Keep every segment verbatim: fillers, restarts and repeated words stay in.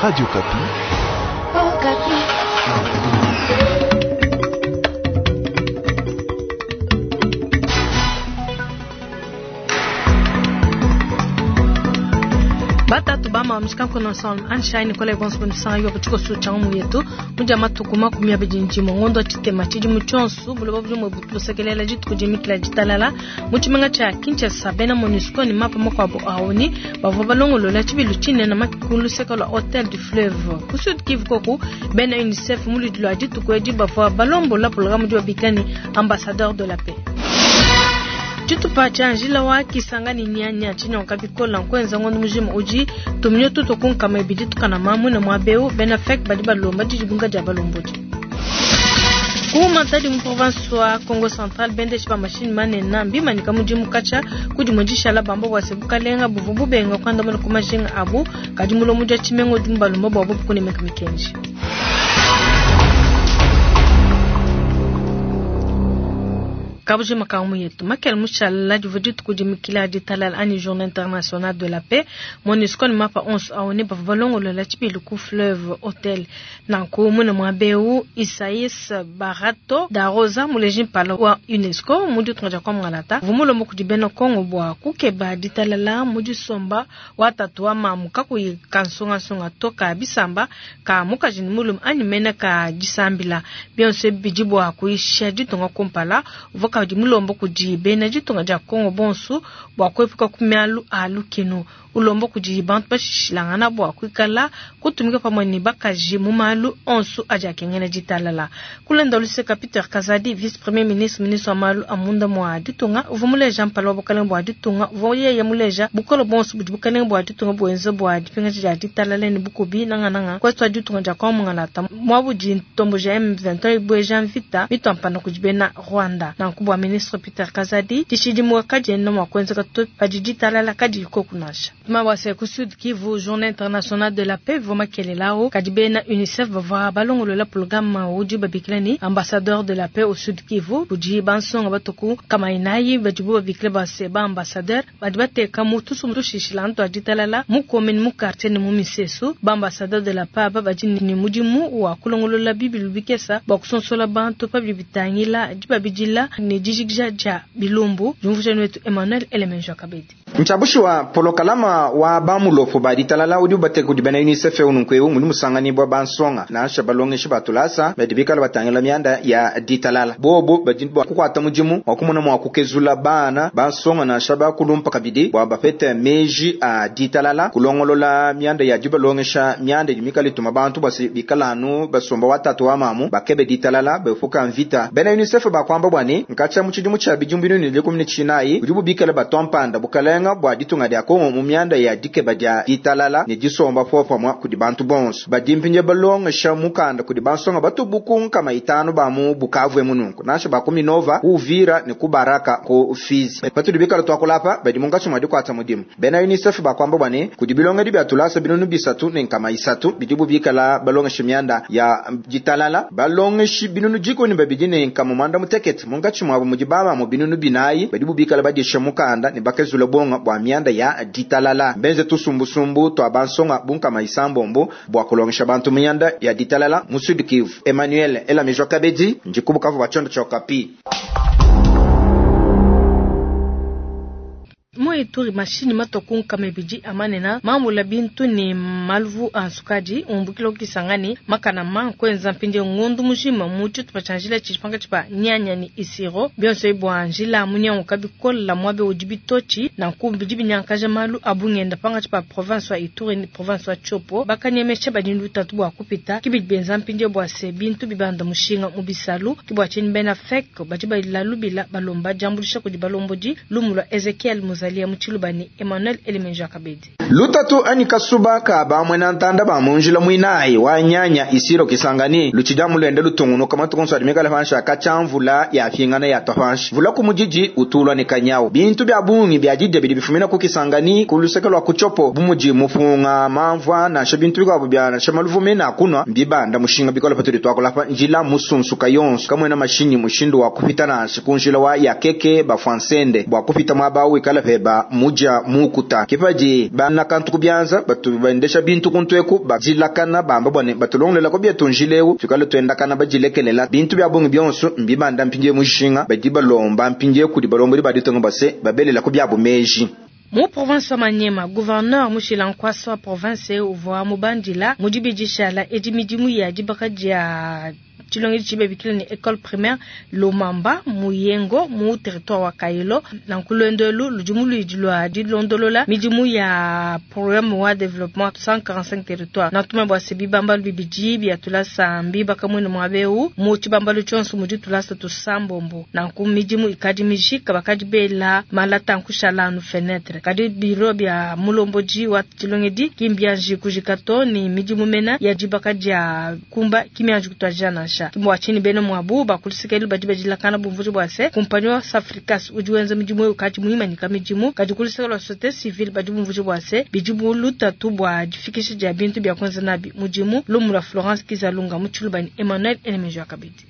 Radio Okapi. Okapi. Batatu bama mshikanko na son anshine kole bonso bnsanga yo butiko su changu yetu muja matuku makumi abidi njimo ngondo chitema chidi muchonsu buloba bujumwe butusekelela jituku jimikila jitalala muchimenga cha Kinshasa bena MONUSCO ni mapa makwabo aoni bavua balongolola chibilu chinene makikulu seka lwa Hotel du Fleuve ku Sud Kivu koku bena UNICEF mulidi lwa dituku edi bavua balombola programme di babikani ambassadeur de la paix tshitupa tshia njila wa kisangani nyanya tshinyonka bikola nkwenza ngondo mujima udi tuminyo tuto kunkama ibidi tukana mamwina mwa beu bena fek badi balomba didibunga dia balombodi ku Matadi mu province wa Congo Central bendeshi ba mashini manene mbimanyika mudimu katshia kudi mudishala bamba bua se bukalenga buvua bubenga kuandamuna ku majinga abu kadi mulomo dia tshimenga udi mubalomba bua bobu kunemeka mikenji. Kabujima kamu yetu makele mushala divua dituku dimikila ditalala anyi journée internationale de la paix MONUSCO ni mapa onso aoni bavua balongolola tshibilu ku fleuve hotel nanku mune mua beu Isais Barato da Rosa muleji mpala wa UNESCO mu ditunga dia Kwamgalata uvua mulomba kudi bena Kongo bua kukeba ditalala mu disomba wa tatu wa mamu kakuyi kansungasunga to ka bisamba ka mukaji ni mulume anyi mene ka disambila bionso ebi bidi bua kuyisha ditunga kumpala uvua kadi mulomba kudi bena ditunga dia Kongo bonso bua kuepuka ku mialu a lukinu ulomba kudi bantu bashishilangana bua kuikala kutumika pamue ne bakaji mu malu onso adi akengela ditalala. Kulenda luseka Peter Kazadi vice premier ministre ministre wa malu a munda mua ditunga uvua muleja mpala wa bukalenge bua ditunga uvua yeye muleja bukole bonso budi bukalenge bua ditunga buenza bua dipingaja dia ditalala ne bukubi nangananga kwetu wa ditunga dia Kongo mwabudi ntombo ja M vingt-et-un ibueja mvita mituampana kudi bena Rwanda nanku bua ministre Peter Kazadi dishidimuka kadiena mua kuenzeka to padi ditalala kadiyi koku nansha. Mawase ku Sud Kivu journée internationale de la paix vua makelelawo kadi bena UNICEF bavua balongolola programme udi babikila ni ambassadeur de la paix au Sud Kivu kudi bansonga batuku kama inayi badibu babikila base ba ambassadeur badi bateka mu tusumu tushishila ntu aditalala mu commune mu quartier ne mu misesu ba ambassadeur de la paix aba badi ni mudimu wa kulongolola bibilu bikesa bua kusonsola bantu pa bidi bitangila dibabidila ne dijikija dia bilumbu jumvujani wetu Emmanuel Elemenjo Kabedi Nchabushi wa polokalama wa bamulopo ba ditalala udi ubateka kudi bena UNICEF ununku mudi musanganibwa bansonga nansha balongeshi batulasa badi bikala batangila mianda ya ditalala bobo badi bua kukwata mudimu wa kumona mua kukezula bana bansonga nansha bakulumpa kabidi bua bapete meji a ditalala kulongolola mianda ya dibalongesha mianda idi mikala ituma bantu basi bikala anu basomba watatu wa mamu bakebe ditalala befuka mvita bena UNICEF bakwamba bwani nkatsha mu tshidimu tshia bidimu binunu dikumi ne tshinayi udi bubikala batompanda bukalenga bua ditunga dia Kongo mu mianda ya dikeba dia ditalala ne disomba popamwa kudi bantu bonso badi mpinje balongesha mukanda kudi bansonga batubuku nkama itanu ba mu Bukavu emununku nansha ba ku Minova ku Uvira ne ku Baraka ku Fizi patudi bikala twakulapa badi munkatshi mua dikwata mudimu bena UNICEF bakwamba bwani kudi bilongedi bia tulasa binunu bisatu ne nkama isatu bidibu bikala balongesha mianda ya ditalala balongeshi binunu jikoni babidi ne nkama mwanda mutekete munkatshi mwabo mudi bama mu binunu binayi badibu bikala badisha mukanda ne bakezula bonga bua mianda ya ditalala benze tusumbusumbu twa bansonga bunkama isambombo bua kulongesha bantu mianda ya ditalala mu Sud Kivu Emmanuel Elamijwa Kabedi njikubukavu bachondo cha Okapi. Ituri mashini matoku nkama ibidi amanena mambula bintu ni maluvu a nsukadi umbukila ukisangani makana ma nkwenza mpindi ngundu mujima mu tshitupa tshia njila tshipanga tshipa nyanya ni isiro bionso ibua njila munyanguka bikola mwabe udi bitotshi nanku bidi binyankaja malu abungenda panga tshipa province wa Ituri ni province wa Tshopo bakanyemesha badi lutatu bua kupita kibidi benza mpindi bua se bintu bibanda mushinga mu bisalu kibua tshini bena fek badi balalubila balomba jambulisha kudi balombodi lumu lwa Ezekiel Muzalia Muchilubani Emmanuel Elemenja Kabedi lutatu ani kasuba ka bamwena ntanda ba munjila mwinayi wa nyanya isiro kisangani luchida mulende lutungunuka matukonso adimikala pansha kachamvula ya fingana ya topanshi vula ku mujiji utulwa ni kanyawo bintu bya bungi bya jidya bidi bifumina ku kisangani ku luseke lwa kuchopo bumuji mufunga mamvwa nansha bintu bikwabo bya nansha maluvume na kunwa mbibanda mushinga bikola patudi twakulapa njila musunsuka yonso kamwena mashinyi mushindu wa kupita nansha ku njila wa yakeke bafwansende bwa kupita mwaba wikala peba bua mudia mukuta kipadi bana kantu kubyanza batu bendesha bintu kuntweku bajilakana bamba bwane batulongolela ko byetu njileu tukale twendakana bajilekelela bintu bya bungi byonso mbibanda mpindie mushinga badi balomba mpindie kudi balombodi baditonga base babelela ko byabo meji. Mu province wa Manyema, gouverneur Mushila Nkwasa wa province uvua mubandila mudibidishala edi midimu ya dibaka dia tshilongedi tshibebikile ne école primaire Lomamba Muyengo mu territoire wa Kailo na nkulwendelu ludimu luidi lwa dilondolola midimu ya programme wa développement cent quarante-cinq territoire na tuma bwa sebi bambalu bibidi bya tulasa mbi bakamwene mwabeu mu tshibambalu tshonso mudi tulasa tusambombo na nku midimu ikadi mijika bakadi bela malata nkushala nu fenêtre kadi biro bya mulomboji wa tshilongedi kimbianji kujikato ni midimu mena ya dibaka dia kumba kimianji kutwajana sha kimwa chini beno mwabu bakulisikeli badi badilakana bumvuji bwase kumpanyi wa Safricas udi wenza midimu kati muhima nika midimu kadi kulisikeli wa société civile badi bumvuji bwase bidimu lutatu bwa difikisha dia bintu bya kwanza nabi mudimu lumula Florence Kizalunga mutshulubani Emmanuel Enemejo akabidi.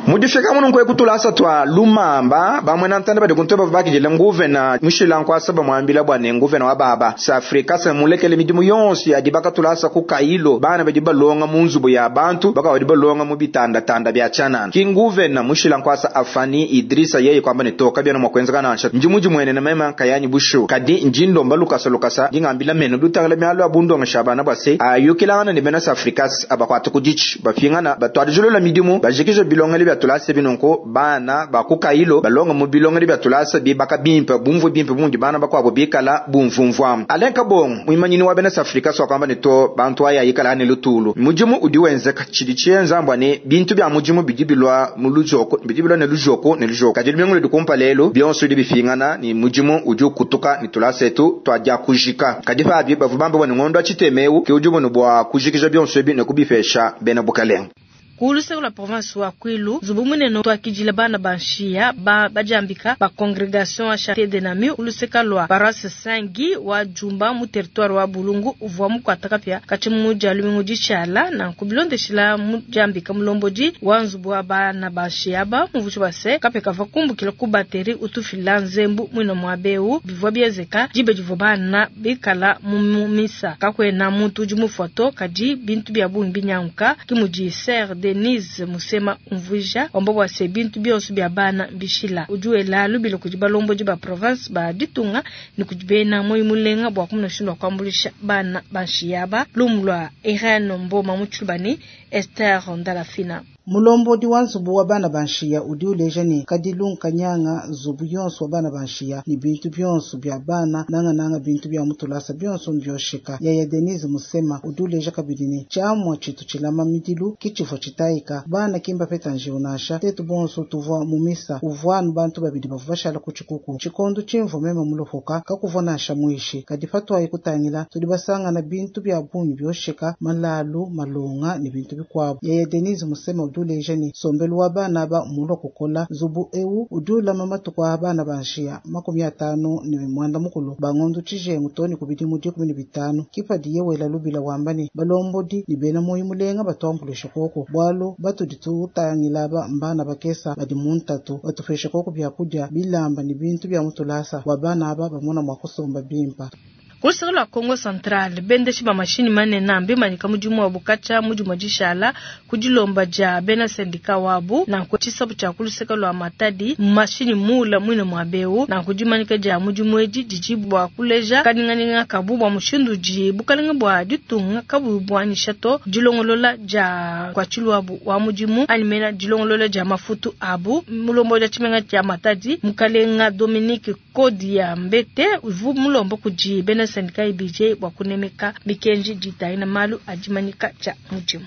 Mudifika muno nkwe kutulasa twa lumamba bamwe na ntanda badi kuntoba bakijele nguvena Mushila Nkwasa bamwambila bwane nguvena wa baba Safrika se mulekele midimu yonse ya dibaka tulasa ku Kailo bana badi balonga mu nzubu ya bantu baka badi balonga mu bitanda tanda bya chanana kinguvena Mushila Nkwasa afani Idrisa yeye kwamba ne toka byana mwakwenzeka nansha njimuji mwene na mema kayanyi bushu kadi njindo lukasa lukasa ngingambila meno dutangala myalo abundonga shabana bwase ayukilana ne bena Safrika abakwata kudichi bafingana batwadijulola midimu bajikije bilongeli bya tulasa binonko bana bakukailo balonga mu bilongeli bya tulasa bibaka bimpe bumvu bimpe bundi bana bakwabo bikala bumvumvwa alenka bongo muimanyini wa bena Afrika so kwamba nito bantu aya yikala ne lutulu mujimu udi wenzeka chidi chienzambwa ne bintu bya mujimu bidibilwa mu lujoko bidibilwa ne lujoko ne lujoko kadi mingulu dikumpa lelo byonso di bifingana ni mujimu udi kutuka ni tulasa etu twaja kujika kadi fabi bavubamba bone ngondo achitemeu ke ujumu bwa kujikija byonso bi ne kubifesha bena bukalenga. Kuluseko la province wa Kwilu zubu munene twakijila bana banshia ba bajambika ba congregation wa Charité de Namur uluseka lwa paroisse Saint-Guy wa Jumba mu territoire wa Bulungu uvwa mukwataka pya kachimu ja lumingu dichala na kubilondeshila mujambika mulomboji wa nzubu wa bana banshia ba muvuchi base kapeka vakumbukila ku bateri utufila nzembu mwino mwabeu bivwa biezeka jibe jivo bana bikala mu misa kakwena muntu udi mufoto kadi bintu bya bungi binyanguka kimuji ser Denise Musema umvuja wambo bwase bintu byonso bya bana bishila ujuela lubilo kudi balomboji ba province ba ditunga ni kudibena moyi mulenga bwa kumna shindwa kwambulisha bana banshiyaba lumlwa Irene Mboma Mutshubani Esther Ndalafina. Mulombodi wa nzubu wa bana banshiya udi uleja ne kadilu nkanyanga nzubu yonso wa bana banshiya ni bintu byonso bya bana nangananga bintu bya mutulasa byonso mbyosheka. Yaya Denise Musema udi uleja kabidi ne tshiamua tshitu tshilama midilu kitshivua tshitayika bana kimba peta njiwu nansha tetu bonso tuvua mu misa uvua nu bantu babidi bavua bashala ku tshikuku tshikondo tshimvua meme mulopoka kakuvua nansha muishi kadi patwayi kutangila tudi basangana bintu bya bungi byosheka malalu malonga ni bintu bikuabu. Yaya Denise Musema udi uleja ne sombelu wa bana ba mulo kukola nzubu ewu udi ulama matuku a bana banshiya makumi atanu ne mwanda mukulu bangondo tshijengu toni kubidi mu dikumi ne bitanu kipadi yewela lubila wamba ne balombodi ni bena moyi mulenga batuambulisha koko bwalu batudi tutangila ba mbana bakesa badi mu ntatu batupesha koko byakudia bilamba ni bintu bya mutulasa wa bana aba bamona mwa kusomba bimpa. Kulusaka lwa Kongo Central bendeshi ba mashini manene mbimanyika mudimu wa bukacha mudimu dishala kudilomba ja bena sendika wabu na kuchisabu cha kulusaka lwa Matadi mashini mula mwine mwabeu na kudimanyika ja mudimu edi dijibwa kuleja kaninganinga kabu bwa mushindu ji bukalinga bwa ditunga kabu bwanisha to dilongolola ja kwa chilwabu wa mudimu animena dilongolola ja mafutu abu mulombo ja chimenga ja Matadi mukalenga Dominique Kodi ya Mbete uvu mulombo kuji bena sendika I B J bwa kunemeka mikenji jitaina malu ajimanyika cha mudimu.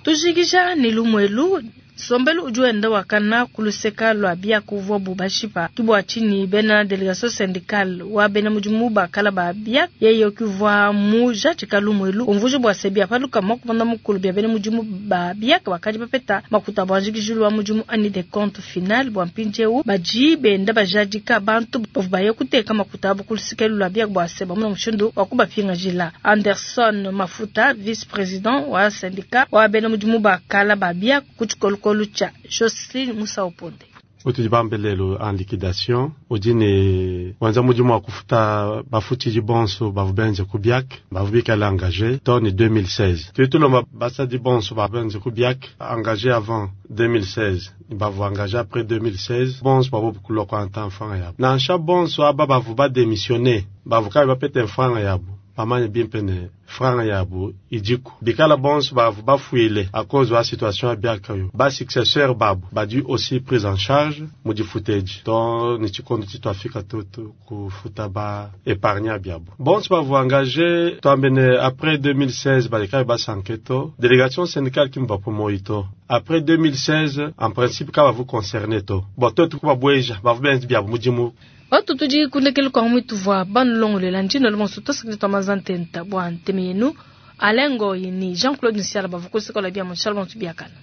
Tujikija ni lumwelu sombelu ujuenda wakana kuluseka lwa bia kuvwa bubashipa kibwa chini bena delegation syndicale wa bena mudimu bakala ba bia yeyo kivwa muja chikalumwelu umvujo bwa sebia paluka makubanda mukulu bia bena mudimu ba bia bakaji bapeta makuta bwanjikijulu wa mudimu ani de compte final bwa mpinjeu baji benda bajadika bantu bavubaye kuteka makuta abo kuluseka lwa bia bwa seba muna mushindu wa kubapinga Anderson Mafuta vice président wa syndicat wa bena mudimu bakala ba bia kuchikolo Lucha Jocelyn Musa Oponde. Utudi bambe lelo en liquidation udi ne wenza mudimu wa kufuta bafutshidi bonso bavu benze ku BIAC bavu bikale engagé to ni deux mille seize. Tudi tulomba basadi bonso ba benze ku BIAC engagé avant deux mille seize bavu engagé après deux mille seize bonso bavu kulokwa anta mfranga yabo. Nansha bonso aba bavu ba démissionné bavu kabe bapete mfranga yabo bamanye bimpe ne franga yabo idiku bikala bonso bavu bafuile à cause wa situation ya BIAC yo ba successeur babu badi aussi prise en charge mu difuteji to ni tshikondo tshituafika tutu kufuta ba épargne biabo bonso bavu engagé twambene après deux mille seize balekabe basanke to délégation syndicale kimba pomoyi to après deux mille seize en principe ka bavu concerné to bo totu kubabweja bavu benzi biabo mudimu. Watu tudi kundekele kwa mwitu vwa banulongolela ndino lumonso tosakile twa mazantenta bwa nteme yenu alengo yini Jean-Claude Nsiala bavukusikola bia moshala bantu biakana.